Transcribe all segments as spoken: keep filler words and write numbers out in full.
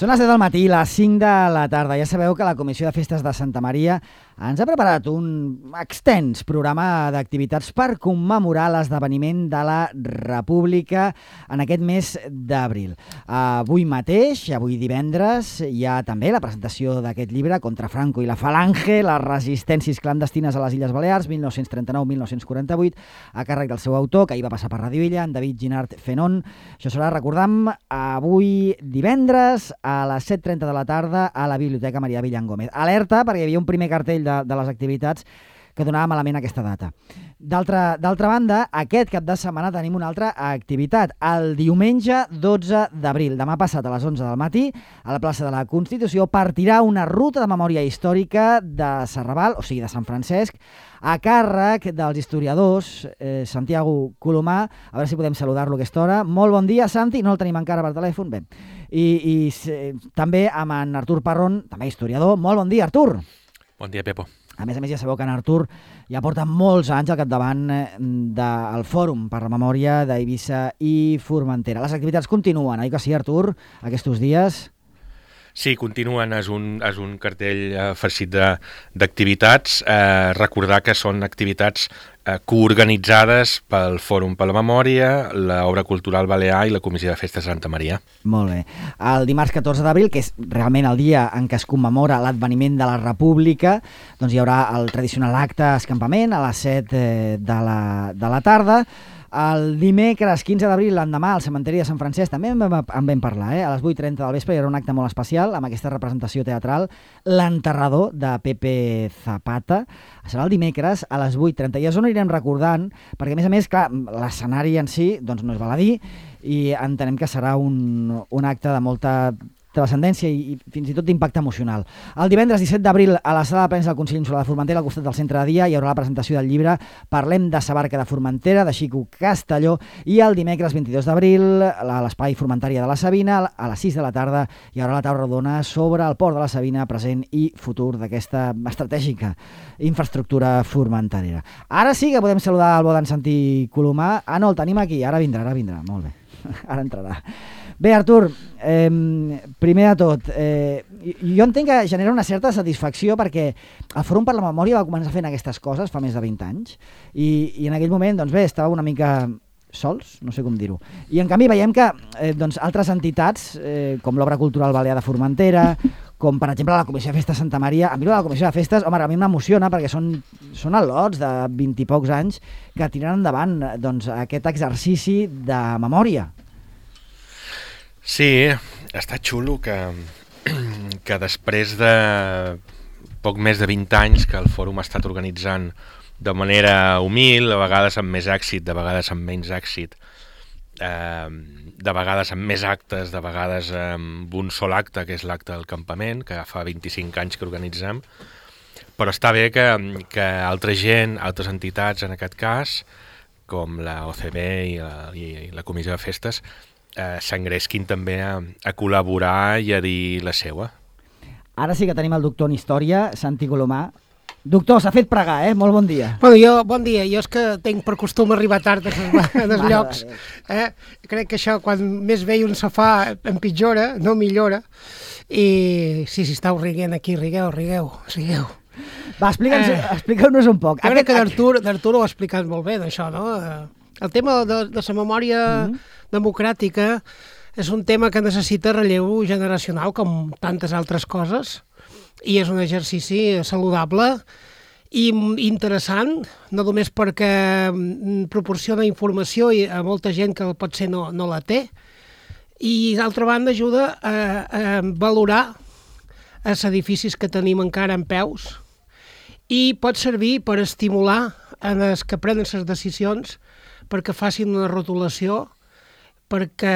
Són les set del matí, les cinc de la tarda. Ja sabeu que la Comissió de Festes de Santa Maria ens ha preparat un extens programa d'activitats per commemorar l'esdeveniment de la República en aquest mes d'abril. Avui mateix, avui divendres, hi ha també la presentació d'aquest llibre, Contra Franco i la Falange, les resistències clandestines a les Illes Balears, mil nou-cents trenta-nou a mil nou-cents quaranta-vuit, a càrrec del seu autor, que ahir va passar per Radio Illa, en David Ginard Fenon. Això serà, recordam, avui divendres a les set trenta de la tarda a la Biblioteca Marià Villangómez. Alerta, perquè hi havia un primer cartell de, de les activitats que donava malament aquesta data. D'altra banda, aquest cap de setmana tenim una altra activitat. El diumenge dotze d'abril, demà passat a les onze del matí, a la plaça de la Constitució, partirà una ruta de memòria històrica de Serrabal, o sigui, de Sant Francesc, a càrrec dels historiadors eh, Santiago Colomà. A veure si podem saludar-lo a aquesta hora. Molt bon dia, Santi. No el tenim encara per telèfon. Bé. I, i eh, també amb en Artur Parrón, també historiador. Molt bon dia, Artur. Bon dia, Pepo. A més a més, ja sabeu que en Artur ja porta molts anys al capdavant del Fòrum per la Memòria d'Eivissa i Formentera. Les activitats continuen, oi que sí, Artur, aquests dies? Sí, continuen. És un, és un cartell eh, farcit d'activitats. Eh, recordar que són activitats eh, coorganitzades pel Fòrum per la Memòria, l'Obra Cultural Balear i la Comissió de Festes de Santa Maria. Molt bé. El dimarts catorze d'abril, que és realment el dia en què es commemora l'adveniment de la República, doncs hi haurà el tradicional acte escampament a les set eh, de, la, de la tarda. El dimecres quinze d'abril, l'endemà, al cementeri de Sant Francesc, també en vam, en vam parlar, eh? A les vuit trenta del vespre hi haurà un acte molt especial amb aquesta representació teatral, L'enterrador, de Pepe Zapata. Serà el dimecres a les vuit trenta. I és on anirem recordant, perquè a més a més, clar, l'escenari en si doncs no és baladí i entenem que serà un, un acte de molta transcendència i, i fins i tot d'impacte emocional. El divendres disset d'abril a la sala de premsa del Consell Insular de Formentera, al costat del centre de dia, hi haurà la presentació del llibre Parlem de sa barca de Formentera, de Xico Castelló, i el dimecres vint-i-dos d'abril a l'Espai Formentària de la Sabina, a les sis de la tarda, hi haurà la taula rodona sobre el port de la Sabina, present i futur d'aquesta estratègica infraestructura formenterera. Ara sí que podem saludar el bo d'en Santi Colomà. Ah, no, el tenim aquí, ara vindrà, ara vindrà, molt bé, ara entrarà. Bé, Artur, eh, primer de tot, eh, jo entenc que genera una certa satisfacció perquè el Fòrum per la Memòria va començar fent aquestes coses fa més de vint anys i, i en aquell moment, doncs bé, estava una mica sols, no sé com dir-ho. I en canvi veiem que eh, doncs, altres entitats, eh, com l'Obra Cultural Balear de Formentera, com per exemple la Comissió de Festes Santa Maria, a mi la Comissió de Festes, home, a mi m'emociona perquè són, són al·lots de vint i pocs anys que tiren endavant doncs, aquest exercici de memòria. Sí, està xulo que, que després de poc més de vint anys que el Fòrum ha estat organitzant de manera humil, a vegades amb més èxit, de vegades amb menys èxit, eh, de vegades amb més actes, de vegades amb un sol acte, que és l'acte del campament, que fa vint-i-cinc anys que organitzem, però està bé que, que altra gent, altres entitats en aquest cas, com la O C B i la, i la Comissió de Festes, Eh, s'engresquin també a, a col·laborar i a dir la seua. Ara sí que tenim el doctor en Història, Santi Colomà. Doctor, s'ha fet pregar, eh? Molt bon dia. Bueno, jo, bon dia. Jo és que tinc per costum arribar tard als llocs. Eh? Crec que això, quan més vell un se fa, empitjora, no millora. I sí, si estàu riguent aquí, rigueu, rigueu, rigueu. Va, explica'ns, eh, expliqueu-nos un poc. Jo crec que d'Artur ho ha explicat molt bé, d'això, no? El tema de, de la memòria mm-hmm. democràtica és un tema que necessita relleu generacional, com tantes altres coses, i és un exercici saludable i interessant, no només perquè proporciona informació a molta gent que potser no, no la té, i d'altra banda ajuda a, a valorar els edificis que tenim encara en peus i pot servir per estimular en els que prenen les decisions perquè facin una rotulació, perquè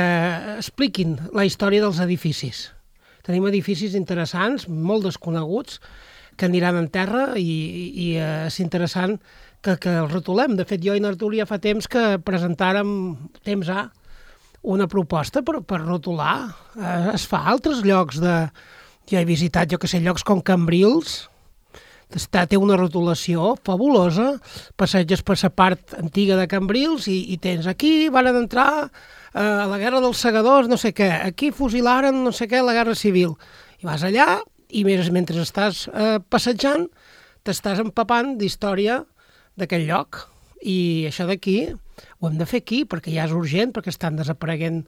expliquin la història dels edificis. Tenim edificis interessants, molt desconeguts, que aniran en terra i, i és interessant que, que els rotulem. De fet, jo i n'Artur ja fa temps que presentàrem, temps A, una proposta per, per rotular. Es fa a altres llocs de... Jo he visitat, jo que sé, llocs com Cambrils, Està, té una rotulació fabulosa, passeges per la part antiga de Cambrils i, i tens aquí, van entrar a la guerra dels segadors, no sé què, aquí fusilaren no sé què, la guerra civil. I vas allà i mentre estàs eh, passejant t'estàs empapant d'història d'aquell lloc. I això d'aquí ho hem de fer aquí perquè ja és urgent, perquè estan desapareguent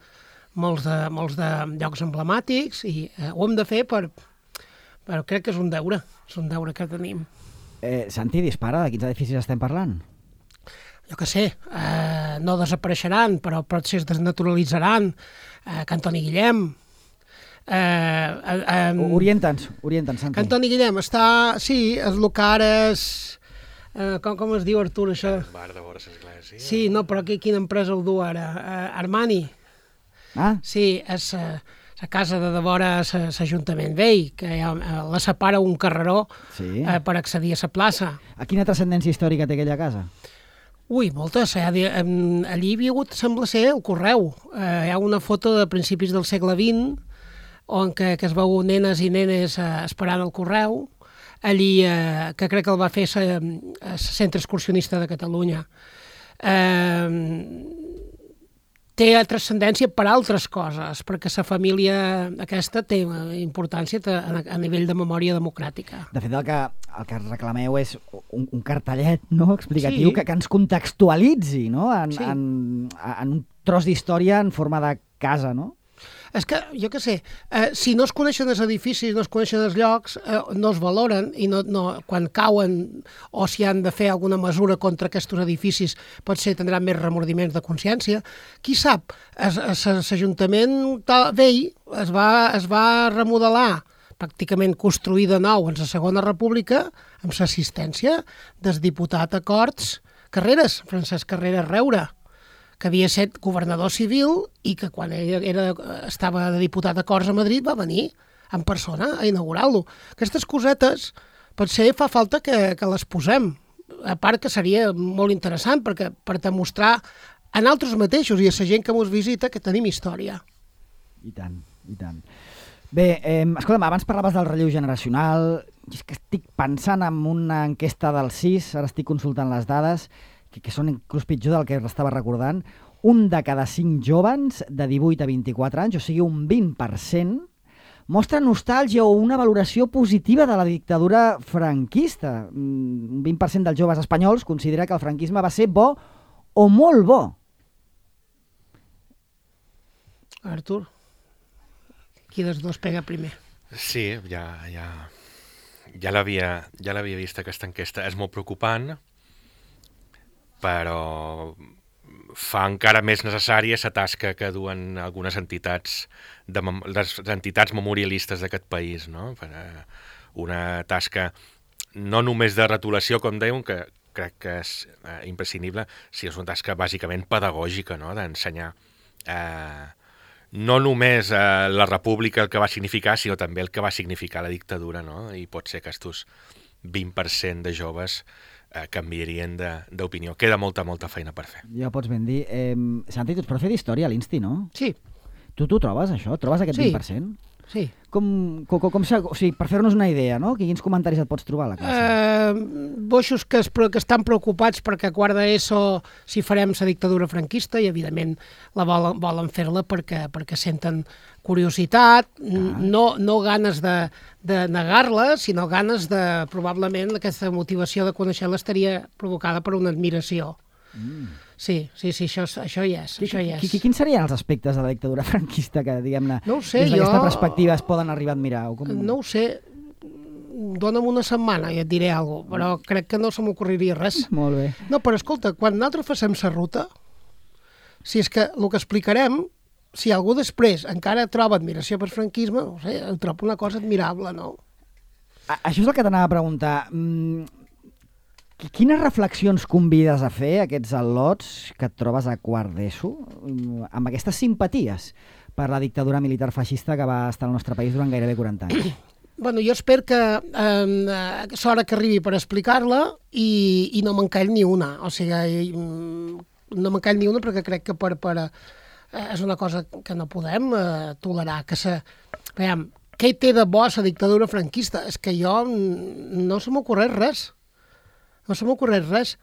molts de, molts de llocs emblemàtics i eh, ho hem de fer per... però crec que és un deure, és un deure que tenim. Eh, Santi, dispara, de quins edificis estem parlant? Jo què sé, eh, no desapareixeran, però potser es desnaturalitzaran. Eh, Cantoni Guillem... Eh, eh, eh, Orienta'ns, orienta'ns, Santi. Cantoni Guillem està... Sí, és el que ara és... Eh, com, com es diu, Artur, això? El bar de vora l'església. Sí, no, però aquí, quina empresa el du ara? Eh, Armani. Ah? Sí, és eh, la casa de devora l'Ajuntament Vell, que ha, la separa un carreró sí. eh, per accedir a la plaça. A quina transcendència històrica té aquella casa? Ui, moltes. Eh? Allí hi havia hagut, sembla ser, el correu. Eh, hi ha una foto de principis del segle vint on que, que es veu nenes i nenes eh, esperant el correu. Allí, eh, que crec que el va fer el Centre Excursionista de Catalunya. Eh, té transcendència per altres coses, perquè la família aquesta té importància a, a nivell de memòria democràtica. De fet, el que, el que reclameu és un, un cartellet, no?, explicatiu, sí. que, que ens contextualitzi, no?, en, sí. en, en un tros d'història en forma de casa, no? És que, jo què sé, eh, si no es coneixen els edificis, no es coneixen els llocs, eh, no es valoren i no, no, quan cauen o si han de fer alguna mesura contra aquests edificis potser tindran més remordiments de consciència. Qui sap, l'Ajuntament vell es va, es va remodelar, pràcticament construir de nou en la Segona República amb l'assistència del diputat a Corts Carreras, Francesc Carreras Reura, que havia estat governador civil i que quan ell era, estava de diputat a Corts a Madrid va venir en persona a inaugurar-lo. Aquestes cosetes potser fa falta que, que les posem, a part que seria molt interessant perquè, per demostrar a nosaltres mateixos i a la gent que ens visita que tenim història. I tant, i tant. Bé, eh, escolta'm, abans parlaves del relleu generacional, és que estic pensant en una enquesta del C I S, ara estic consultant les dades, que, que són inclús pitjor del que estava recordant, un de cada cinc joves de divuit a vint-i-quatre anys, o sigui un vint per cent, mostra nostàlgia o una valoració positiva de la dictadura franquista. Un vint per cent dels joves espanyols considera que el franquisme va ser bo o molt bo. Artur, qui dels dos pega primer? Sí, ja, ja, ja l'havia ja l'havia vist aquesta enquesta. És molt preocupant, però fa encara més necessària la tasca que duen algunes entitats, de, les entitats memorialistes d'aquest país, no? Una tasca no només de retolació, com dèiem, que crec que és eh, imprescindible, sinó és una tasca bàsicament pedagògica, no? D'ensenyar eh, no només eh, la república el que va significar, sinó també el que va significar la dictadura, no? I pot ser que estos vint per cent de joves eh, canviarien d'opinió. Queda molta, molta feina per fer. Ja ho pots ben dir. Eh, Santi, tu ets profe d'història a l'Insti, no? Sí. Tu t'ho trobes, això? Trobes aquest sí. vint per cent? Sí. Com, com, com, o sigui, per fer-nos una idea, no? Quins comentaris et pots trobar a la classe? Eh, boixos que, es, que estan preocupats perquè a quart d'ESO si farem la dictadura franquista i, evidentment, la volen, volen fer-la perquè, perquè senten curiositat, ah. no, no ganes de, de negar-la, sinó ganes de, probablement, aquesta motivació de conèixer-la estaria provocada per una admiració. Mm. Sí, sí, sí, això, això hi és. Qui, això hi és. Qui, quins serien els aspectes de la dictadura franquista que, diguem-ne, no sé, des d'aquesta jo... perspectiva es poden arribar a admirar? O com... No ho sé, dona'm una setmana i et diré alguna cosa, però crec que no se m'ocorriria res. Molt bé. No, però escolta, quan nosaltres facem la ruta, si és que el que explicarem, si algú després encara troba admiració per franquisme, no sé, ho trobo una cosa admirable, no? A, això és el que t'anava a preguntar. Mm, quines reflexions convides a fer aquests al·lots que et trobes a quart d'ESO amb aquestes simpaties per la dictadura militar feixista que va estar al nostre país durant gairebé quaranta anys? Bueno, jo espero que eh, s'hora que arribi per explicar-la i, i no me'n call ni una. O sigui, no me'n call ni una perquè crec que per, per, eh, és una cosa que no podem eh, tolerar. Que se, veiem, què té de bo la dictadura franquista? És que jo no se m'ocorreix res. No se m'ocorreix res.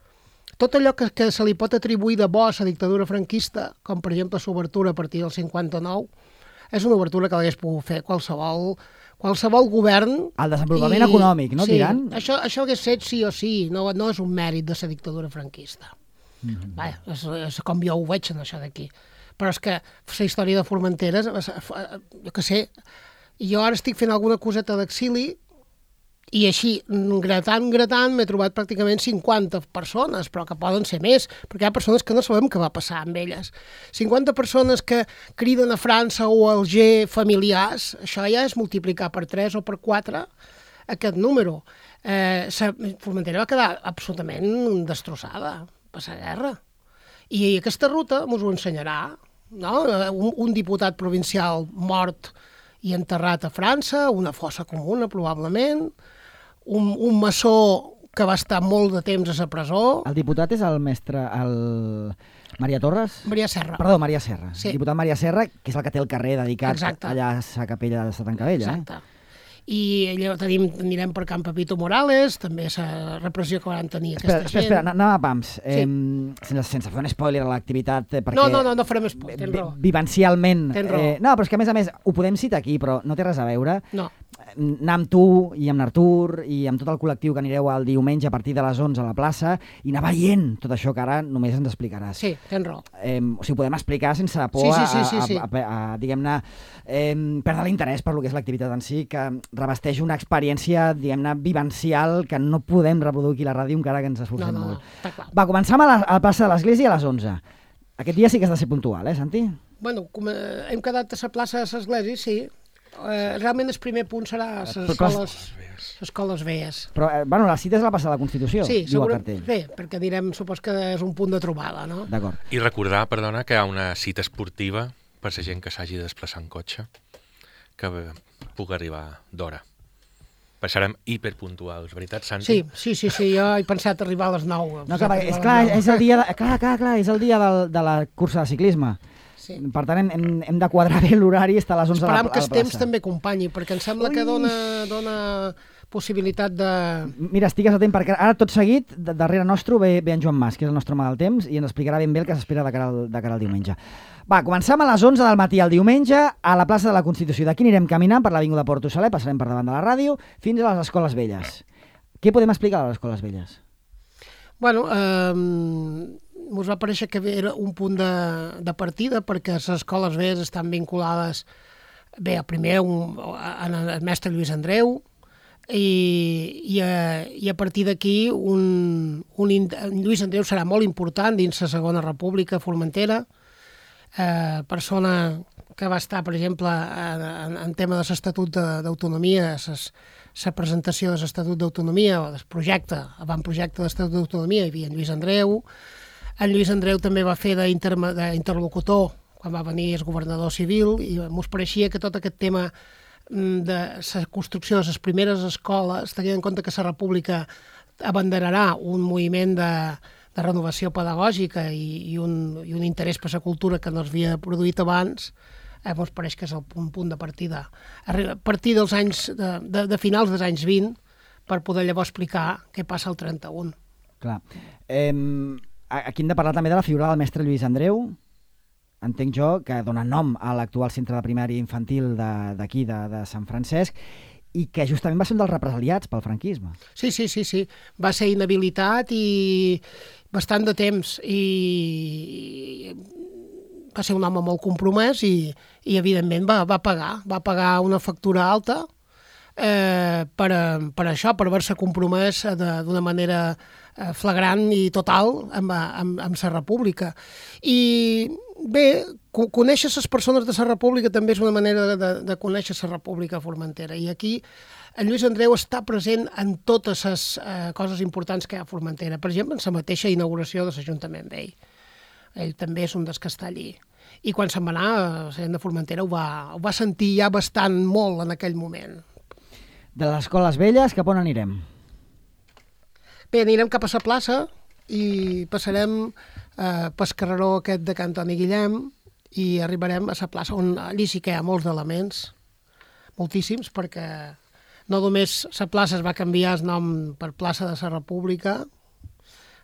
tot allò que, que se li pot atribuir de bo a la dictadura franquista, com per exemple l'obertura a partir del cinquanta-nou, és una obertura que l'hagués pogut fer qualsevol, qualsevol govern. El desenvolupament i... econòmic, no, sí, diran? Això, això hagués fet sí o sí, no, no és un mèrit de la dictadura franquista. Mm-hmm. Bé, és, és com jo ho veig en això d'aquí. Però és que la història de Formentera, jo què sé, jo ara estic fent alguna coseta d'exili i així, gratant, gratant, m'he trobat pràcticament cinquanta persones, però que poden ser més, perquè hi ha persones que no sabem què va passar amb elles. cinquanta persones que criden a França o a Alger familiars, això ja és multiplicar per tres o per quatre aquest número. Eh, Formentera va quedar absolutament destrossada per la guerra. I aquesta ruta ens ho ensenyarà, no? Un, un diputat provincial mort i enterrat a França, una fossa comuna, probablement, un, un maçó que va estar molt de temps a la presó. El diputat és el mestre, el Maria Torres? Maria Serra. Perdó, Maria Serra. Sí. El diputat Maria Serra, que és el que té el carrer dedicat Exacte. allà a la capella de la Tancavella. Exacte. Eh? I allò tenim, anirem per Can Pepito Morales, també la repressió que van tenir aquesta espera, espera, gent. Espera, anem a pams. Sí. Eh, sense, sense fer un spoiler a l'activitat, eh, perquè... No, no, no, no farem spoiler, tens raó. Vivencialment... Tens raó. Eh, no, però és que a més a més ho podem citar aquí, però no té res a veure. No. Anar amb tu i amb l'Artur i amb tot el col·lectiu que anireu el diumenge a partir de les onze a la plaça i anar veient tot això que ara només ens explicaràs. Sí, tens raó. Eh, o sigui, podem explicar sense por Sí, sí, sí, sí, sí. a, a, a, a diguem-ne, eh, perdre l'interès per lo que és l'activitat en si, que revesteix una experiència, diguem-ne, vivencial que no podem reproduir aquí a la ràdio encara que ens esforcem No, no, no, molt. està clar. Va, començam a la, a la plaça de l'Església a les onze. Aquest dia sí que has de ser puntual, eh, Santi? Bueno, com, eh, hem quedat a la plaça de l'Església, sí. Eh, realment el primer punt serà les Però clar, escoles, les escoles veies. Però, eh, bueno, la cita és la plaça de la Constitució, Sí, diu el segura, cartell. bé, perquè direm, supos que és un punt de trobada, no? D'acord. I recordar, perdona, que hi ha una cita esportiva per la gent que s'hagi de desplaçar en cotxe, que pugui arribar d'hora. Passarem hiperpuntuals, veritat, Santi? Sí, sí, sí, sí, jo he pensat arribar a les nou. No, clar, és, clar, és el dia, de, clar, clar, clar, és el dia del, de la cursa de ciclisme. Sí. Per tant, hem, hem, hem de quadrar bé l'horari i estar a les onze Esperam a la, que a la el temps plaça. també acompanyi, perquè em sembla Ui. que dona, dona possibilitat de... Mira, estigues atent, perquè ara tot seguit, de, darrere nostre ve, ve en Joan Mas, que és el nostre home del temps, i ens explicarà ben bé el que s'espera de, cara al, de cara al diumenge. Va, començam a les onze del matí el diumenge a la plaça de la Constitució. D'aquí anirem caminant per l'Avinguda Porto Saler, passarem per davant de la ràdio, fins a les escoles velles. Què podem explicar a les escoles velles? Bueno, eh, ens va parèixer que era un punt de, de partida perquè les escoles velles estan vinculades bé, primer un, al mestre Lluís Andreu i, i, a, i a partir d'aquí un, un, Lluís Andreu serà molt important dins la Segona República Formentera, eh, persona que va estar, per exemple, en, en tema de l'Estatut d'Autonomia, la presentació de l'Estatut d'Autonomia o del projecte, avantprojecte de l'Estatut d'Autonomia, hi havia en Lluís Andreu. En Lluís Andreu també va fer d'interlocutor quan va venir el governador civil i ens pareixia que tot aquest tema de la construcció de les primeres escoles, tenint en compte que la República abanderarà un moviment de, de renovació pedagògica i, i, un, i un interès per la cultura que no s'havia produït abans, eh, ens pareix que és el punt, punt de partida. A partir dels anys, de, de, de finals dels anys vint, per poder llavors explicar què passa al trenta-un. Clar. Eh, aquí hem de parlar també de la figura del mestre Lluís Andreu, entenc jo, que dona nom a l'actual centre de primària infantil d'aquí, de, de, de Sant Francesc, i que justament va ser un dels represaliats pel franquisme. Sí, sí, sí, sí. Va ser inhabilitat i bastant de temps i va ser un home molt compromès i, i evidentment va, va pagar, va pagar una factura alta eh, per, per això, per haver-se compromès d'una manera eh, flagrant i total amb, amb, amb la República. I bé, conèixer les persones de la República també és una manera de, de conèixer la República Formentera. I aquí en Lluís Andreu està present en totes les eh, coses importants que hi ha a Formentera. Per exemple, en la mateixa inauguració de l'Ajuntament vell. Ell també és un dels que està allí. I quan se'n va anar, la gent de Formentera ho va, ho va sentir ja bastant molt en aquell moment. De les escoles velles, cap on anirem? Bé, anirem cap a la plaça i passarem eh, pel carreró aquest de Can Antoni Guillem i arribarem a la plaça on allí sí que hi ha molts elements, moltíssims, perquè no només la plaça es va canviar el nom per plaça de la República,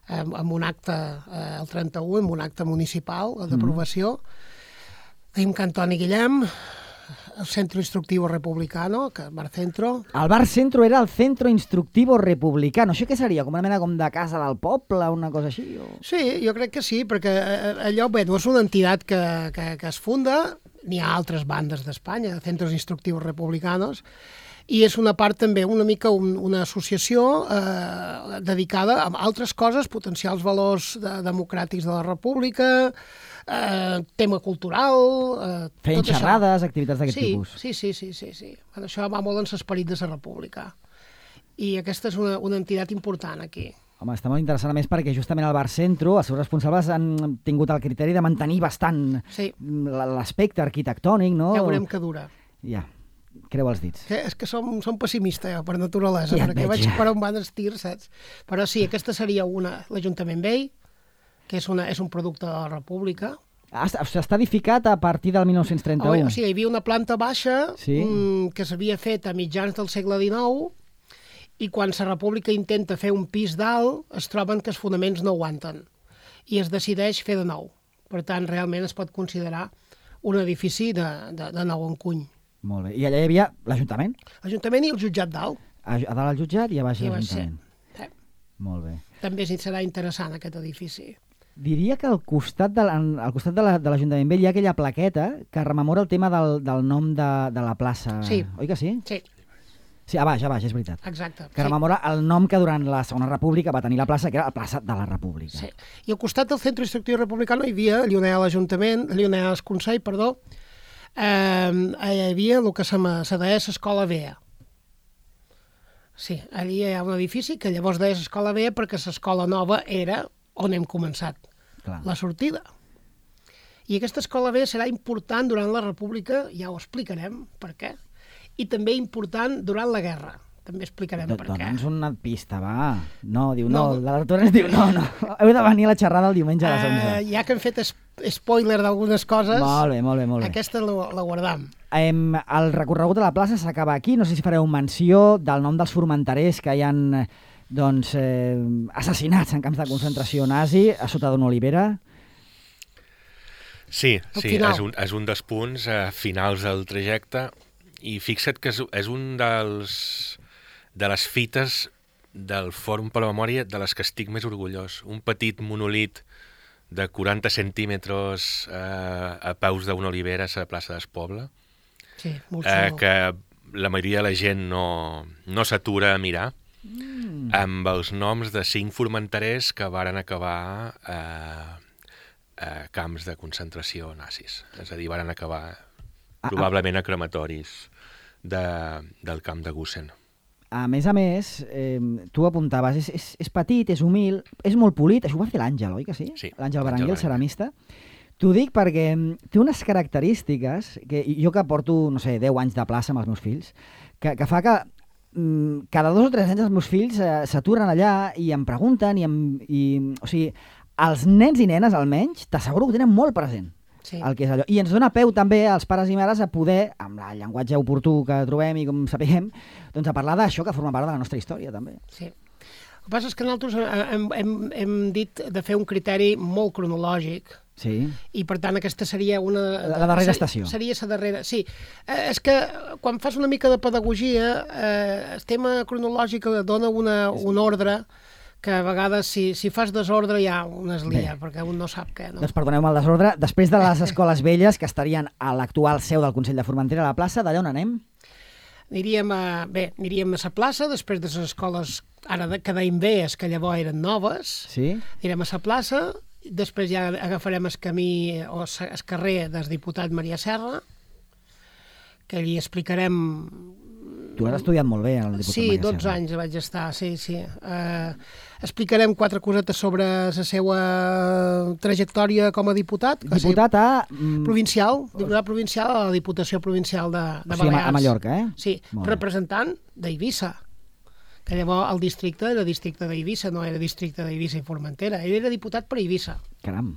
amb, amb un acte eh, el trenta-u, amb un acte municipal d'aprovació. Mm. Tenim que Antoni Guillem, el Centro Instructivo Republicano, que Bar Centro. El Bar Centro era el Centro Instructivo Republicano. Això què seria? Com una mena com de casa del poble, una cosa així? O... Sí, jo crec que sí, perquè allò bé, no és una entitat que, que, que es funda, n'hi ha altres bandes d'Espanya, Centros Instructivos Republicanos, i és una part també una mica un, una associació eh, dedicada a altres coses, potenciar els valors de, democràtics de la república, eh, tema cultural... Eh, Feien xerrades, activitats d'aquest sí, tipus. Sí, sí, sí, sí, sí. Bueno, això va molt en l'esperit de la república. I aquesta és una, una entitat important aquí. Home, està molt interessant, a més, perquè justament al Bar Centro els seus responsables han tingut el criteri de mantenir bastant sí. l'aspecte arquitectònic, no? Ja veurem que dura. Ja, creu els dits. Que és que som, som pessimista, jo, per naturalesa, ja perquè veig, vaig ja. per on van els tirs, saps? Però sí, aquesta seria una, l'Ajuntament Vell, que és, una, és un producte de la República. Ah, està edificat a partir del mil nou-cents trenta-u. O, o sigui, hi havia una planta baixa sí. mmm, que s'havia fet a mitjans del segle dinou, i quan la República intenta fer un pis dalt, es troben que els fonaments no aguanten, i es decideix fer de nou. Per tant, realment es pot considerar un edifici de, de, de nou encuny. Molt bé. I allà hi havia l'Ajuntament? L'Ajuntament i el jutjat dalt. A, a dalt el jutjat i a baix I l'Ajuntament. Sí. Molt bé. També serà interessant aquest edifici. Diria que al costat de, al costat de l'Ajuntament Vell hi ha aquella plaqueta que rememora el tema del, del nom de, de la plaça. Sí. Oi que sí? Sí. Sí, a baix, a baix, és veritat. Exacte. Que sí. rememora el nom que durant la Segona República va tenir la plaça, que era la plaça de la República. Sí. I al costat del Centre Instructiu Republicano hi havia, allà on hi ha l'Ajuntament, allà on hi ha el Consell, perdó, eh, hi havia el que se deia l'Escola Vea. Sí, allà hi ha un edifici que llavors deia l'Escola Vea perquè l'escola nova era on hem començat, Clar. la sortida. I aquesta escola Vea serà important durant la República, ja ho explicarem per què, i també important durant la guerra. També explicarem Do, per què. Dona'ns una pista, va. No, diu no. No. L'Artur ens diu no, no. Heu de venir a la xerrada el diumenge a les onze. Uh, ja que hem fet es spoiler d'algunes coses, Molt bé, molt bé, molt bé. aquesta la, la guardam. Em, el recorregut de la plaça s'acaba aquí. No sé si fareu menció del nom dels formenterers que hi han doncs, eh, assassinats en camps de concentració nazi a sota d'una olivera. Sí, sí, final. és un, és un dels punts eh, finals del trajecte. I fixa't que és, és un dels, de les fites del Fòrum per la Memòria de les que estic més orgullós. Un petit monolit de quaranta centímetres eh, a peus d'una olivera a la plaça d'Espoble, Sí, molt eh, xulo. que la majoria de la gent no, no s'atura a mirar, Mm. amb els noms de cinc formenterers que varen acabar eh, a camps de concentració nazis. És a dir, varen acabar probablement a crematoris de, del camp de Gusen. A més a més, eh, tu apuntaves, és, és, és petit, és humil, és molt polit, això ho va fer l'Àngel, oi que sí? Sí, L'Àngel l'Àngel Berenguer, el Berenguer. ceramista. T'ho dic perquè té unes característiques, que jo que porto, no sé, deu anys de plaça amb els meus fills, que, que fa que mm, cada dos o tres anys els meus fills eh, s'aturen allà i em pregunten, i, em, i o sigui, els nens i nenes almenys, t'asseguro que ho tenen molt present. Sí. El que és allò. I ens dona peu també als pares i mares a poder, amb el llenguatge oportú que trobem i com sapiguem, doncs a parlar d'això que forma part de la nostra història també. Sí. El que passa és que nosaltres hem, hem, hem dit de fer un criteri molt cronològic, Sí. i per tant aquesta seria una... La, la darrera ser, estació. Seria la darrera, sí. Eh, és que quan fas una mica de pedagogia, eh, el tema cronològic dona una, un ordre que a vegades si, si fas desordre ja un es lia, Bé. perquè un no sap què. No? Doncs perdoneu-me el desordre. Després de les escoles velles, que estarien a l'actual seu del Consell de Formentera a la plaça, d'allà on anem? Aniríem a, bé, aniríem a la plaça, després de les escoles, ara de, que deim veies, que llavors eren noves, Sí? anirem a la plaça, després ja agafarem el camí o el carrer del diputat Maria Serra, que allí explicarem... Tu has estudiat molt bé, el diputat Sí, Maria dotze Serra. anys vaig estar, sí, sí. Uh, explicarem quatre cosetes sobre la seva trajectòria com a diputat. que Diputat a... sí, mm, provincial, diputat provincial a la Diputació Provincial de, de o sigui, a Balears. Ma- a Mallorca, eh? Sí, Molt bé. representant d'Eivissa, que llavors el districte era districte d'Eivissa, no era districte d'Eivissa i Formentera. Ell era diputat per Eivissa, Caram.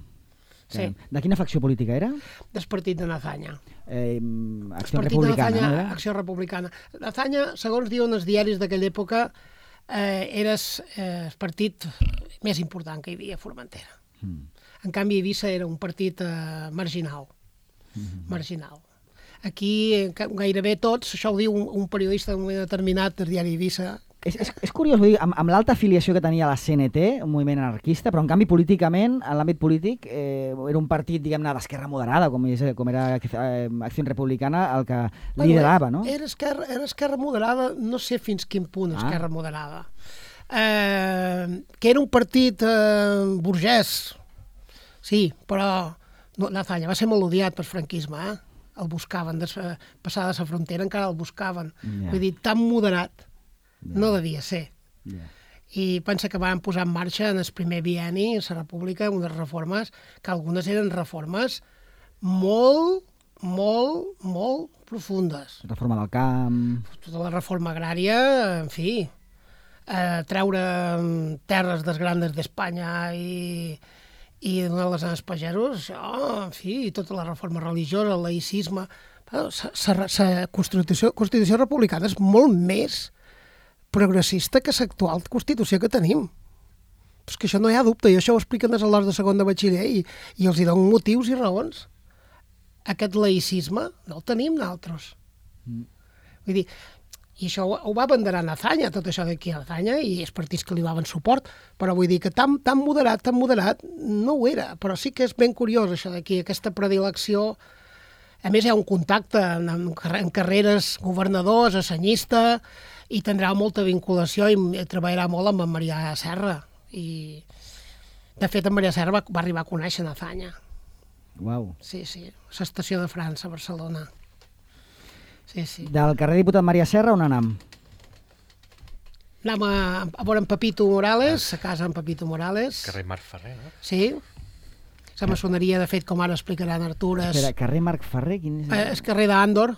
Sí. Caram. De quina facció política era? del partit de Nazanya. Eh, El Acció partit de Republicana, Nazanya, no era? Acció Republicana. Nazanya, segons diuen els diaris d'aquella època, eh, era eh, el partit més important que hi havia a Formentera. Mm. En canvi, Eivissa era un partit eh, marginal. Mm-hmm. Marginal. Aquí, gairebé tots, això ho diu un, un periodista d'un moment determinat del diari Eivissa. És, és, és curiós, vull dir, amb, amb l'alta afiliació que tenia la C N T, un moviment anarquista, però en canvi políticament, en l'àmbit polític, eh, era un partit, diguem-ne, d'esquerra moderada, com, és, com era eh, Acció Republicana, el que liderava, no? Era esquerra, era esquerra moderada, no sé fins quin punt esquerra ah. moderada. Eh, que era un partit eh, burgès, sí, però no, Nazaña va ser molt odiat pel franquisme, eh? El buscaven, des, passada la frontera encara el buscaven. Yeah. Vull dir, tan moderat. Yeah. No devia ser. Yeah. I pensa que van posar en marxa en el primer bienni a la República unes reformes que algunes eren reformes molt, molt, molt profundes. Reforma del camp... Tota la reforma agrària, en fi, eh, treure terres dels grandes d'Espanya i, i donar-les als pagesos, això, en fi, i tota la reforma religiosa, el laïcisme... La Constitució, Constitució republicana és molt més progressista que l'actual Constitució que tenim. És que això no hi ha dubte, i això ho expliquen des de l'hora de segon de batxiller, i, i els hi donen motius i raons. Aquest laïcisme no el tenim nosaltres. Mm. Vull dir, i això ho, ho va abanderar Nazaña, tot això d'aquí a Nazaña, i els partits que li daven suport, però vull dir que tan, tan moderat, tan moderat, no ho era. Però sí que és ben curiós això d'aquí, aquesta predilecció. A més, hi ha un contacte en, en carreres governadors, assenyista, i tindrà molta vinculació i treballarà molt amb en Marià Serra. I, de fet, en Marià Serra va, va arribar a conèixer Nazaña. Uau. Sí, sí, a l'estació de França, a Barcelona. Sí, sí. Del carrer Diputat Marià Serra, on anam? Anam a, a veure en Pepito Morales, a casa en Pepito Morales. Carrer Marc Ferrer, no? Sí. La maçoneria, de fet, com ara explicarà en Artur... És... Espera, carrer Marc Ferrer? Quin és? Eh, és carrer d'Andor.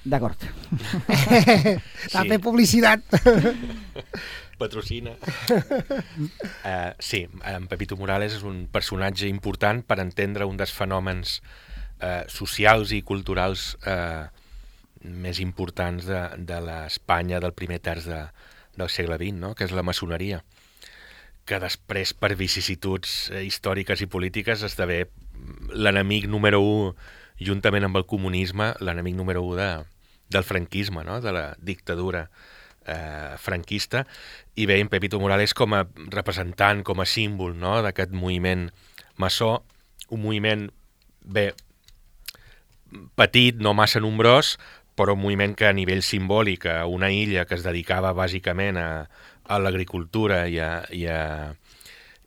D'acord. T'ha fet publicitat. Patrocina. uh, sí, en Pepito Morales és un personatge important per entendre un dels fenòmens uh, socials i culturals uh, més importants de, de l'Espanya del primer terç de, del segle vint, no? Que és la maçoneria, que després, per vicissituds eh, històriques i polítiques, esdevé l'enemic número u, juntament amb el comunisme, l'enemic número u de, del franquisme, no? De la dictadura eh, franquista, i veiem Pepito Morales com a representant, com a símbol, no? D'aquest moviment maçó, un moviment bé petit, no massa nombrós, però un moviment que a nivell simbòlic, a una illa que es dedicava bàsicament a, a l'agricultura i a, i, a,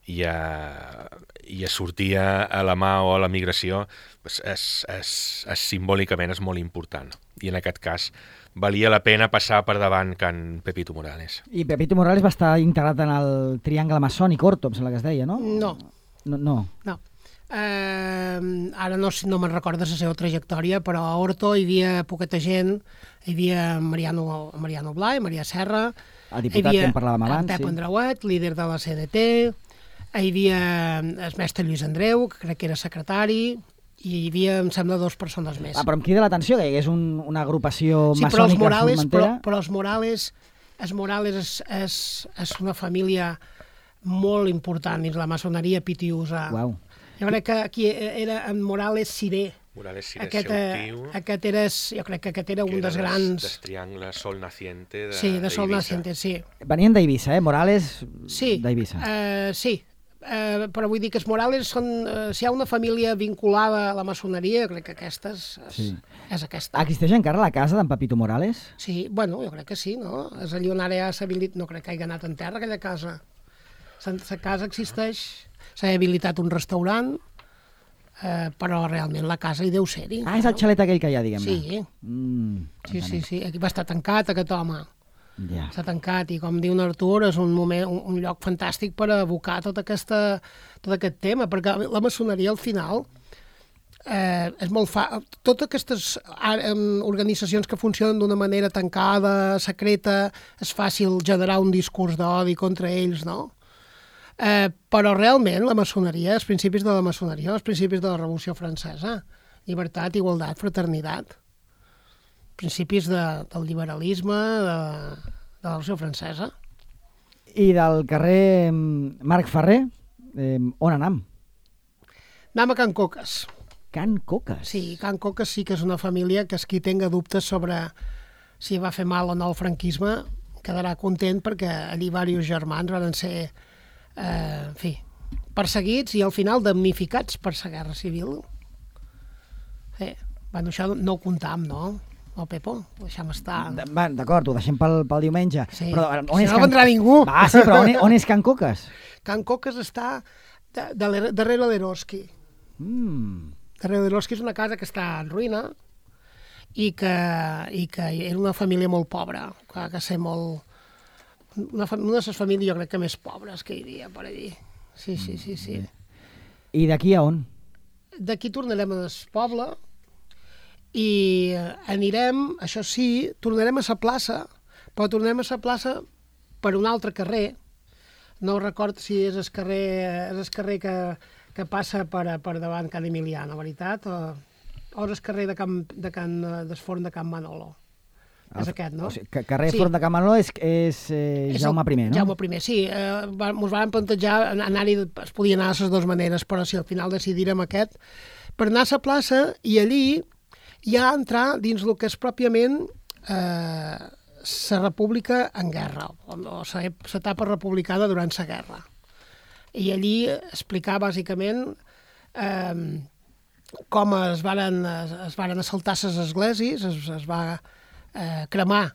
i, a, i a sortir a la mà o a la migració, és, és, és, és, simbòlicament és molt important. I en aquest cas valia la pena passar per davant Can Pepito Morales. I Pepito Morales va estar integrat en el triangle maçònic Orto, em sembla que es deia, no? No. No. no. no. Eh, ara no, no me'n recordo la seva trajectòria, però a Orto hi havia poqueta gent, hi havia Mariano, Mariano Blay, Marià Serra, el diputat havia, que en parlàvem abans, Pep sí. Andreuet, líder de la C N T, hi havia el mestre Lluís Andreu, que crec que era secretari, i hi havia, em sembla, dues persones més. Ah, però em crida l'atenció que hi hagués un, una agrupació sí, maçònica però Morales, formentera. Però, però els Morales, els Morales és, és, és una família molt important dins la maçoneria pitiusa. Uau. Jo crec que aquí era en Morales Ciré. Morales Ciré, aquest, seu tio. Aquest era, jo crec que aquest era un dels grans... Des triangle Sol Naciente de, sí, de Sol d'Eivissa. Naciente, sí. Venien d'Eivissa, eh? Morales sí, d'Eivissa. Uh, sí, uh, però vull dir que els Morales són... Uh, si hi ha una família vinculada a la maçoneria, jo crec que aquesta és, sí. és aquesta. Existeix encara la casa d'en Pepito Morales? Sí, bueno, jo crec que sí, no? És allà on ara ja s'ha habilitat... No crec que hagi anat en terra, aquella casa. La casa existeix... S'ha habilitat un restaurant, eh, però realment la casa hi deu ser-hi. Ah, és el xalet aquell que hi ha, diguem-ne. Sí. Mm, sí, sí, sí. Aquí va estar tancat, aquest home. Ja. Està tancat, i com diu Artur, és un, moment, un, un lloc fantàstic per abocar tot, aquesta, tot aquest tema, perquè la maçoneria, al final, eh, és molt fa... Totes aquestes organitzacions que funcionen d'una manera tancada, secreta, és fàcil generar un discurs d'odi contra ells, no? Eh, però realment la maçoneria, els principis de la maçoneria, els principis de la Revolució Francesa, llibertat, igualtat, fraternitat, principis de, del liberalisme de, de la Revolució Francesa. I del carrer Marc Ferrer, eh, on anam? Anem a Can Coques. Can Coques? Sí, Can Coques sí que és una família que, qui tenga dubtes sobre si va fer mal o no el franquisme quedarà content, perquè allí diversos germans van ser, eh, en fi, perseguits i al final damnificats per la Guerra Civil. Eh, bueno, això no ho comptam, no? No, Pepo? Ho deixem estar. D'acord, ho deixem pel, pel diumenge. Sí, però on si és no Can... vendrà ningú. Va, sí, però on és, on és Can Coques? Can Coques està de, de, darrere d'Eroski. Mm. Darrere d'Eroski és una casa que està en ruïna i que, i que era una família molt pobra, que, que ser molt... Una, una de les famílies jo crec que més pobres que hi havia per allí. Sí, sí, sí, sí. I d'aquí a on? D'aquí tornarem al poble i anirem, això sí, tornarem a la plaça, però tornarem a la plaça per un altre carrer. No recordo si és el carrer, és el carrer que, que passa per, per davant Can Emilià, la veritat, o, o és el carrer de Can, de Can, del Forn de Can Manolo. El, és aquest, no? O sigui, carrer sí. Forn de Can Manolo és, és, eh, és Jaume I, no? Jaume I, sí. Eh, ens van plantejar anar-hi, es podia anar de les dues maneres, però si al final decidirem aquest, per anar a la plaça i allí ja entrar dins el que és pròpiament eh, la república en guerra, o l'etapa republicana durant la guerra. I allí explicar bàsicament eh, com es varen, es varen assaltar les esglésies, es, es va eh, cremar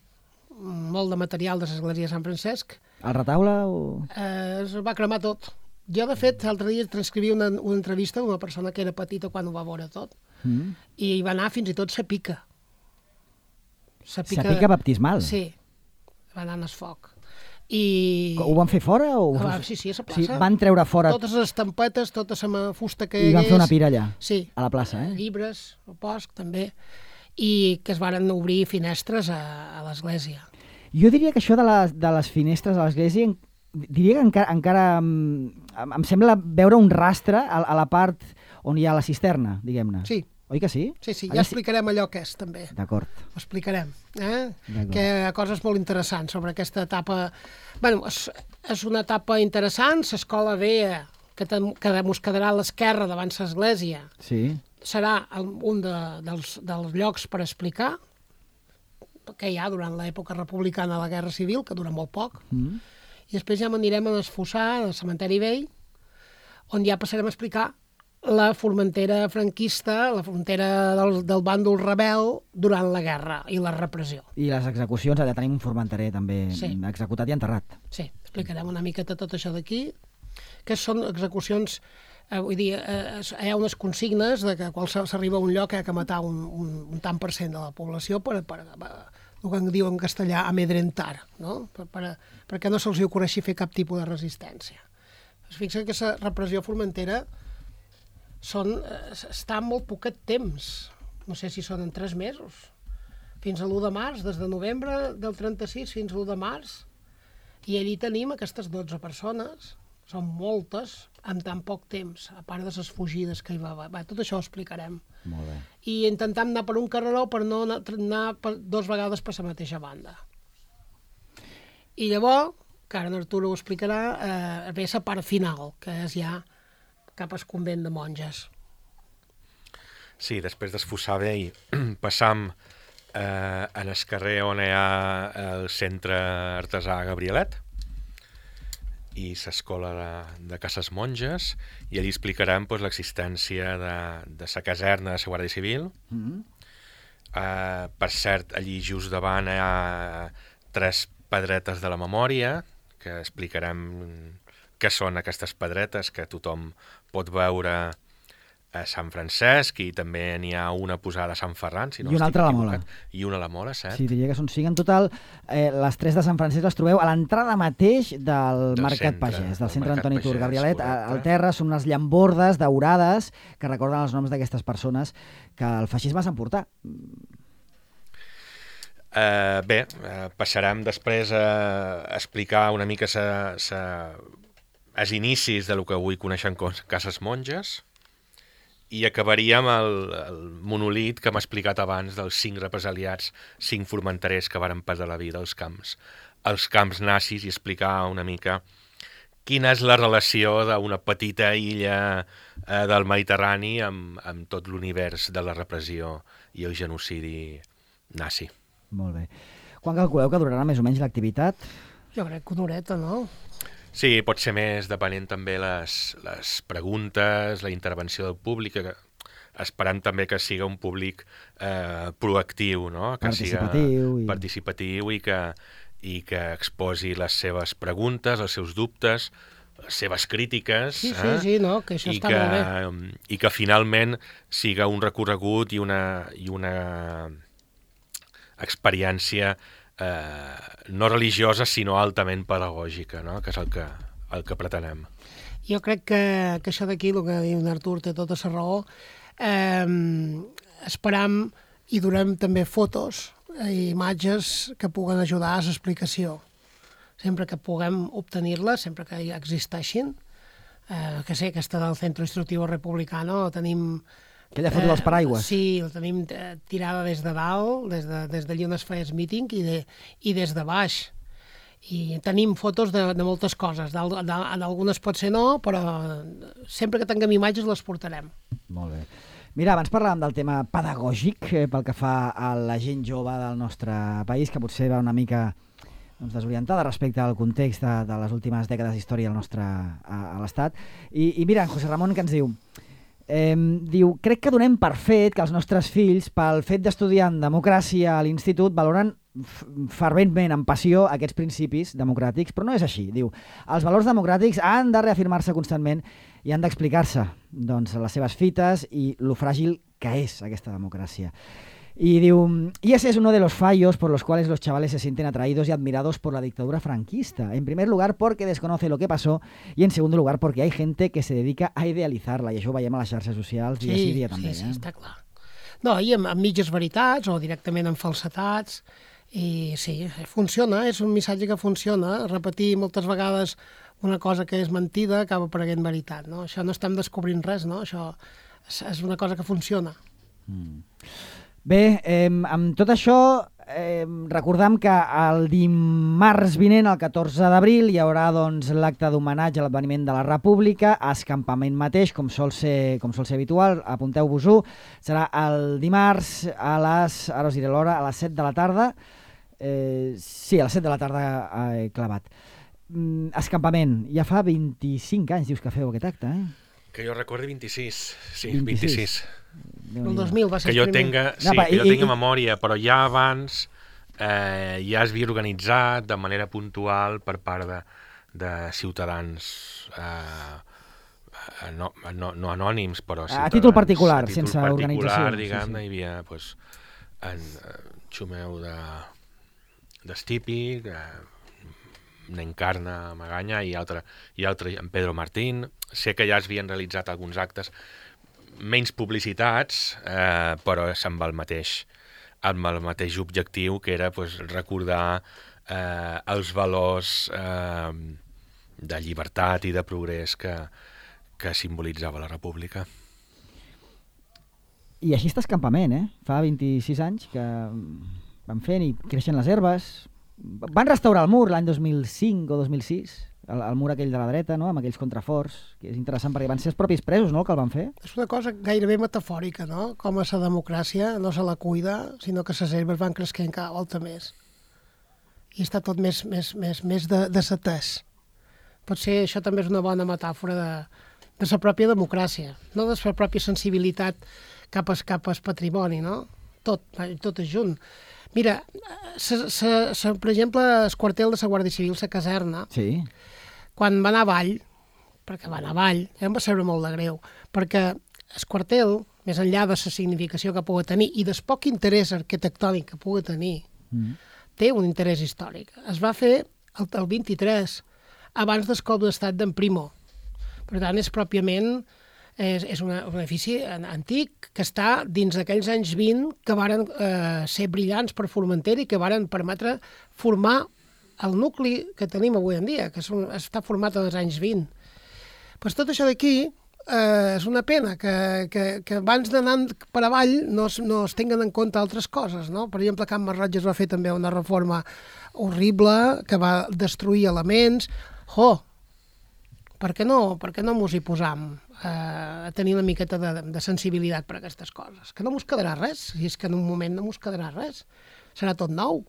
molt de material de l'església de Sant Francesc. El retaule o...? Eh, es va cremar tot. Jo, de fet, l'altre dia transcrivia una, una entrevista d'una persona que era petita quan ho va veure tot, mm. i hi va anar fins i tot sa pica. Sa pica, sa pica baptismal? Sí, va anar en el foc. I... Ho van fer fora? O... Va, sí, sí, a la plaça. Sí, van treure fora... Totes les estampetes, tota la fusta que hi hagués... I van fer una pira allà? Sí. A la plaça, eh? Llibres, el bosc, també. I que es varen obrir finestres a, a l'església. Jo diria que això de les, de les finestres a l'església... Diria que encara, encara em, em sembla veure un rastre a, a la part on hi ha la cisterna, diguem-ne. Sí. Oi que sí? Sí, sí, ja explicarem allò que és, també. D'acord. Ho explicarem. Eh? Que hi ha coses molt interessants sobre aquesta etapa. Bueno, és, és una etapa interessant, l'escola vella, que, que ens quedarà a l'esquerra davant l'església, sí. Serà un de, dels, dels llocs per explicar què hi ha durant l'època republicana de la Guerra Civil, que dura molt poc, mm. I després ja anirem a l'esfossar, al cementeri vell, on ja passarem a explicar la Formentera franquista, la frontera del, del bàndol rebel durant la guerra i la repressió. I les execucions, allà tenim un formenterer també sí. Executat i enterrat. Sí, explicarem una miqueta tot això d'aquí, que són execucions, eh, vull dir, eh, hi ha unes consignes de que quan s'arriba a un lloc hi ha que matar un, un, un tant per cent de la població per... per, per el que en diu en castellà amedrentar, no? Per, per, perquè no se'ls ocorreixi fer cap tipus de resistència. Es fixa que la repressió formentera són, està en molt poquet temps, no sé si són en tres mesos, fins a l'u de març, des de novembre del trenta-sis fins a l'u de març, i allí tenim aquestes dotze persones, són moltes, en tan poc temps, a part de les fugides que hi va haver. Tot això ho explicarem. Molt bé. I intentam anar per un carreró per no anar, anar per, dos vegades per la mateixa banda. I llavors, que ara en Arturo ho explicarà, eh, ve la part final, que és ja cap al convent de monges. Sí, després d'esfossar vell, passam eh, en el carrer on hi ha el centre artesà Gabrielet, i l'escola de, de Cases Monges, i allí explicarem pues, l'existència de, de la caserna de la Guàrdia Civil. Mm-hmm. uh, per cert, allí just davant hi ha tres pedretes de la memòria, que explicarem què són aquestes pedretes, que tothom pot veure a Sant Francesc, i també n'hi ha una posada a Sant Ferran, si no I una altra a la Mola. I una a la Mola, cert? Sí, diria que són cinc en total. Eh, les tres de Sant Francesc les trobeu a l'entrada mateix del, del Mercat centre, Pagès, del centre Antoni Tur Gabrielet. Al terra són unes llambordes daurades que recorden els noms d'aquestes persones que el feixisme s'emportà. Uh, bé, uh, passarem després a explicar una mica sa, sa, els inicis de lo que avui coneixem com Cases Monges, i acabaríem el, el monolit que hem explicat abans dels cinc represaliats, cinc formenterers que varen perdre la vida als camps als camps nazis i explicar una mica quina és la relació d'una petita illa eh, del Mediterrani amb, amb tot l'univers de la repressió i el genocidi nazi. Molt bé. Quan calculeu que durarà més o menys l'activitat? Jo crec que una horeta, no? Sí, pot ser més, depenent també les, les preguntes, la intervenció del públic, que, esperant també que siga un públic eh, proactiu, no? Que participatiu. Siga I... participatiu i que, i que exposi les seves preguntes, els seus dubtes, les seves crítiques. Sí, sí, eh? sí, no, que això I està que, molt bé. I que finalment siga un recorregut i una, i una experiència eh, no religiosa, sinó altament pedagògica, no? Que és el que, el que pretenem. Jo crec que, que això d'aquí, el que diu Artur, té tota la raó. Eh, esperam i durem també fotos i imatges que puguen ajudar a l'explicació. Sempre que puguem obtenir-les, sempre que hi existeixin, eh, que sé, aquesta del Centro Instructivo Republicano, tenim... Aquella foto eh, dels paraigües. Sí, la tenim tirada des de dalt, des de, des d'allí on es feia el míting, i, de, i des de baix. I tenim fotos de, de moltes coses. En algunes pot ser no, però sempre que tinguem imatges les portarem. Molt bé. Mira, abans parlàvem del tema pedagògic eh, pel que fa a la gent jove del nostre país, que potser va una mica doncs, desorientada respecte al context de, de les últimes dècades d'història al nostre, a, a l'Estat. I, I mira, en José Ramon que ens diu... Eh, diu, crec que donem per fet que els nostres fills, pel fet d'estudiar en democràcia a l'institut, valoren ferventment, amb passió, aquests principis democràtics, però no és així. Diu, els valors democràtics han de reafirmar-se constantment i han d'explicar-se doncs, les seves fites i lo fràgil que és aquesta democràcia. Y diu, y ese es uno de los fallos por los cuales los chavales se sienten atraídos y admirados por la dictadura franquista. En primer lugar, porque desconoce lo que pasó, y en segundo lugar, porque hay gente que se dedica a idealizar-la, i això ho veiem a les xarxes socials sí, dia sí dia també. Sí, sí, eh? està clar. No, i amb, amb mitges veritats o directament amb falsetats, i sí, funciona, és un missatge que funciona. Repetir moltes vegades una cosa que és mentida acaba apareguent veritat, no? Això no estem descobrint res, no? Això és, és una cosa que funciona. Mm. Bé, eh, amb tot això, eh, recordem que el dimarts vinent, el catorze d'abril, hi haurà doncs, l'acte d'homenatge a l'adveniment de la República, a escampament mateix, com sol ser, com sol ser habitual, apunteu-vos-ho, serà el dimarts a les, ara us diré l'hora, a les set de la tarda, eh, sí, a les set de la tarda eh, clavat. Mm, escampament, ja fa vint-i-cinc anys dius que feu aquest acte, eh? Que jo recordi vint-i-sis, sí, vint-i-sis. vint-i-sis. El dos mil va ser que jo el primer. tenga, sí, No, pa, que jo i, tinga i, memòria, però ja abans eh, ja es havia organitzat de manera puntual per part de, de ciutadans eh, no, no, no anònims, però ciutadans, a títol particular, a títol sense particular, organització. diguem-ne, Sí, sí. hi havia pues, en eh, Xumeu de d'Estípic, eh, n'Encarna Maganya i altre, i altre, en Pedro Martín. Sé que ja es havien realitzat alguns actes menys publicitats, eh, però amb el mateix amb el mateix objectiu, que era pues, recordar eh, els valors eh, de llibertat i de progrés que, que simbolitzava la República. I així està escampament, eh? Fa vint-i-sis anys que van fent i creixen les herbes. Van restaurar el mur l'any dos mil cinc o dos mil sis, el, el mur aquell de la dreta, no? Amb aquells contraforts, que és interessant perquè van ser els propis presos, no?, que el van fer. És una cosa gairebé metafòrica, no? Com a la democràcia no se la cuida, sinó que les herbes van creixent cada volta més. I està tot més, més, més, més de, desatès. Potser això també és una bona metàfora de, de la pròpia democràcia, no de la pròpia sensibilitat cap al cap al patrimoni, no? Tot, tot és junt. Mira, se, se, se, per exemple, el quartel de la Guàrdia Civil, la caserna, Sí. quan va anar avall, perquè va anar avall, ja em va saber molt de greu, perquè el quartel, més enllà de la significació que pugui tenir i del poc interès arquitectònic que pugui tenir, Mm. té un interès històric. Es va fer el, el vint-i-tres, abans del cop d'estat d'en Primo. Per tant, és pròpiament és, és una, un edifici antic que està dins d'aquells anys vint que varen eh, ser brillants per Formentera i que varen permetre formar el nucli que tenim avui en dia, que és un, està format en els anys vint. Pues tot això d'aquí eh, és una pena que, que, que abans d'anar per avall no es, no es tinguen en compte altres coses, no? Per exemple, Can Masroig es va fer també una reforma horrible que va destruir elements. Jo, per què no, per què no mos hi posam eh, a tenir una miqueta de, de sensibilitat per aquestes coses? Que no mos quedarà res, si és que en un moment no mos quedarà res. Serà tot nou.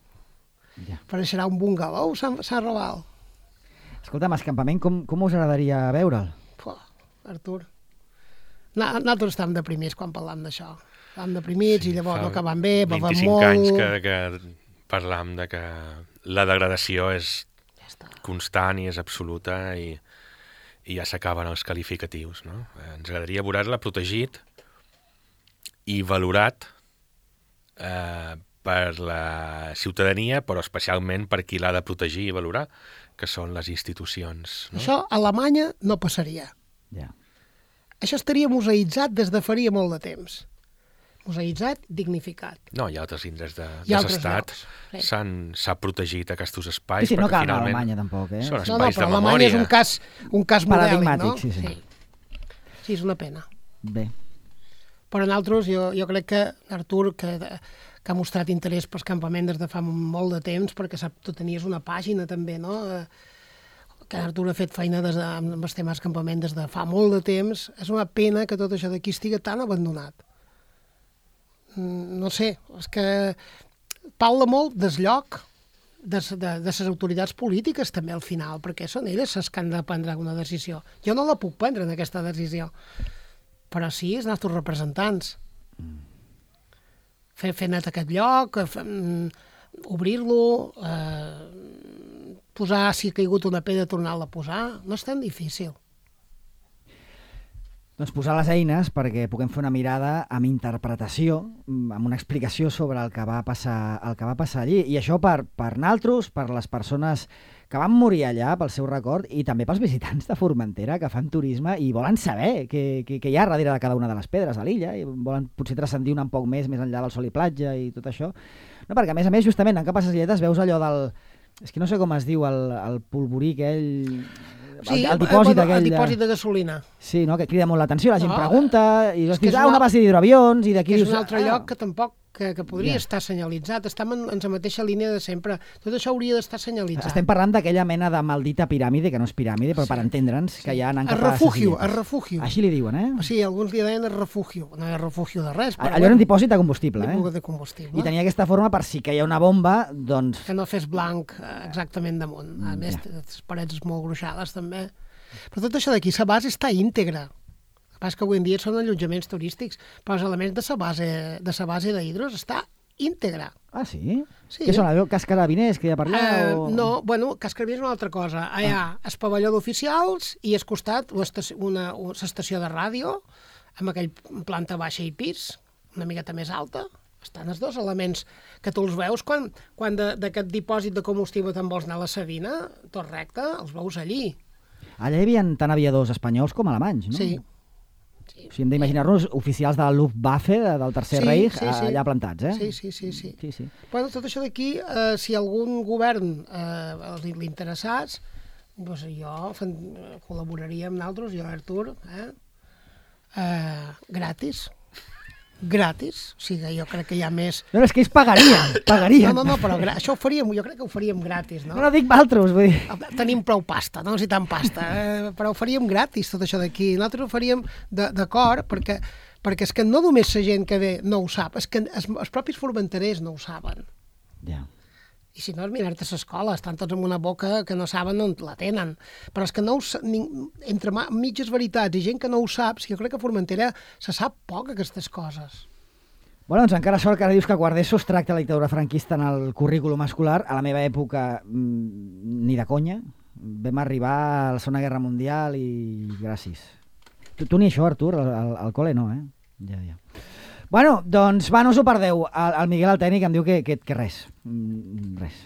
Ja. Però serà un bungalou, Sant, Sant Raval. Escolta'm, escampament, com, com us agradaria veure'l? Puh, Artur. Na, nosaltres estàvem deprimits quan parlàvem d'això. Estàvem deprimits sí, i llavors no acabàvem bé, bevem molt... vint-i-cinc anys que, que parlàvem de que la degradació és ja constant i és absoluta i, i ja s'acaben els qualificatius, no? Ens agradaria veure-la protegit i valorat eh, per la ciutadania, però especialment per qui l'ha de protegir i valorar, que són les institucions. No? Això a Alemanya no passaria. Ja. Això estaria museïtzat des de faria molt de temps. Museïtzat, dignificat. No, hi ha altres indrets de, Hi ha de altres l'estat. Sí. S'ha protegit aquests espais. Sí, sí, no perquè cal anar a finalment Alemanya tampoc, eh? són No, no, espais però de Alemanya memòria. és un cas, un cas modèlic, no? Paradigmàtic, sí, sí. Sí. Sí, és una pena. Bé. Però nosaltres, jo, jo crec que Artur, que, que ha mostrat interès pels campaments des de fa molt de temps, perquè sap, tu tenies una pàgina també, no?, que Artur ha fet feina des de, amb els temes campament des de fa molt de temps. És una pena que tot això d'aquí estigui tan abandonat. No sé, és que parla molt del lloc de, de, de les autoritats polítiques també al final, perquè són elles les que han de prendre una decisió. Jo no la puc prendre en aquesta decisió, però sí els nostres representants. Fer, fer net aquest lloc, fer, obrir-lo, eh, posar, si ha caigut una pedra, tornar-la a posar, no és tan difícil. Doncs posar les eines perquè puguem fer una mirada amb interpretació, amb una explicació sobre el que va passar, el que va passar allí. I això per, per naltros, per les persones que van morir allà, pel seu record, i també pels visitants de Formentera que fan turisme i volen saber què, què, què hi ha darrere de cada una de les pedres a l'illa, i volen potser transcendir un poc més, més enllà del sol i platja i tot això. No, perquè a més a més, justament, en Cap a ses Lletes veus allò del... És que no sé com es diu, el, el polvorí aquell... Sí, el, el dipòsit bueno, aquell... el dipòsit de gasolina. Sí, no? Que crida molt l'atenció, la gent No, pregunta, i és dius, que és ah, una una- base d'hidroavions, i d'aquí Que és dius... un altre ah, lloc que tampoc que, que podria Ja. estar senyalitzat. Estem en, en la mateixa línia de sempre. Tot això hauria d'estar senyalitzat. Estem parlant d'aquella mena de maldita piràmide, que no és piràmide, però per entendre'ns, que hi ha anant El cap a refugio, Ses Illes. el refugio. Així li diuen, eh? Sí, alguns li deien el refugio. No hi ha refugio de res, però Allò era un dipòsit de combustible, bueno, eh? de combustible. I tenia aquesta forma per si caia una bomba, doncs... Que no fes blanc eh, exactament damunt. A més, ja. les parets molt gruixades també. Però tot això d'aquí, la base està íntegra. El que passa que avui en dia són allotjaments turístics, però els elements de la base de la base d'Hidros està íntegra. Ah, sí? Sí. Què són, allò, cas carabiners que hi ha per allà? Eh, o... no, bueno, Cascarvia és una altra cosa. Allà, ah. el pavelló d'oficials i al costat l'estació- una, una estació de ràdio amb aquell planta baixa i pis, una miqueta més alta. Estan els dos elements que tu els veus quan, quan de- d'aquest dipòsit de combustible te'n vols anar a la Sabina, tot recte, els veus allí. Allà hi havia tant aviadors espanyols com alemanys, no? Sí. O sigui, hem d'imaginar-nos oficials de la Luftwaffe, de- del Tercer Sí, Reich, sí, sí. allà plantats, eh? Sí, sí, sí, sí. sí, sí. Bueno, tot això d'aquí, eh, si algun govern eh, li, li interessats, doncs jo fan, col·laboraria amb nosaltres, jo, Artur, eh? Eh, gratis. Gratis. O sigui, jo crec que hi ha més... No, no, és que ells pagarien, pagarien. No, no, no, però gra... això ho faríem, jo crec que ho faríem gratis, no? No, no dic valtros, vull dir... Tenim prou pasta, no necessitem pasta, eh? Però ho faríem gratis, tot això d'aquí. Nosaltres ho faríem de- d'acord, perquè, perquè és que no només la gent que ve no ho sap, és que els, els propis formenterers no ho saben. Ja. I si no, és mirar-te a l'escola, estan tots amb una boca que no saben on la tenen. Però és que no ho, sa- ni, entre ma- mitges veritats i gent que no ho sap, jo crec que a Formentera se sap poc aquestes coses. Bueno, doncs encara sort que ara dius que a quart d'ESO es tracta la dictadura franquista en el currículum escolar. A la meva època, mmm, ni de conya. Vam arribar a la Segona Guerra Mundial i gràcies. Tu, tu ni això, Artur, al, al, al col·le no, eh? Ja, ja. Bueno, doncs va, no us ho perdeu. El, el Miguel, el tècnic, em diu que, que, que res. Mm, res.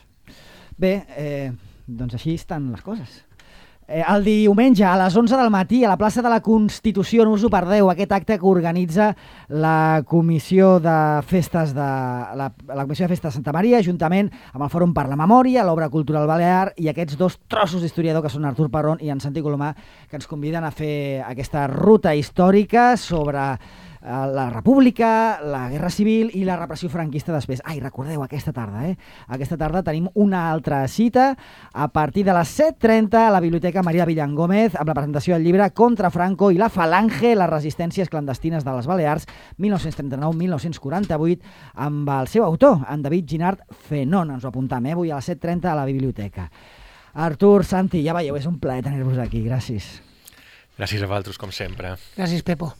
Bé, eh, doncs així estan les coses. Eh, el diumenge a les onze del matí a la plaça de la Constitució, no us ho perdeu, aquest acte que organitza la Comissió de Festes de la, la Comissió de Festes de Santa Maria, juntament amb el Fòrum per la Memòria, l'Obra Cultural Balear i aquests dos trossos d'historiador que són Artur Parrón i en Santi Colomà, que ens conviden a fer aquesta ruta històrica sobre la República, la Guerra Civil i la repressió franquista després. Ai, recordeu, aquesta tarda, eh? Aquesta tarda tenim una altra cita a partir de les set trenta a la Biblioteca Maria Villangómez amb la presentació del llibre Contra Franco i la Falange, les resistències clandestines de les Balears, mil nou-cents trenta-nou a mil nou-cents quaranta-vuit, amb el seu autor, en David Ginard Fenón. Ens ho apuntem, eh? Avui a les set trenta a la Biblioteca. Artur, Santi, ja veieu, és un plaer tenir-vos aquí. Gràcies. Gràcies a vosaltres, com sempre. Gràcies, Pepo.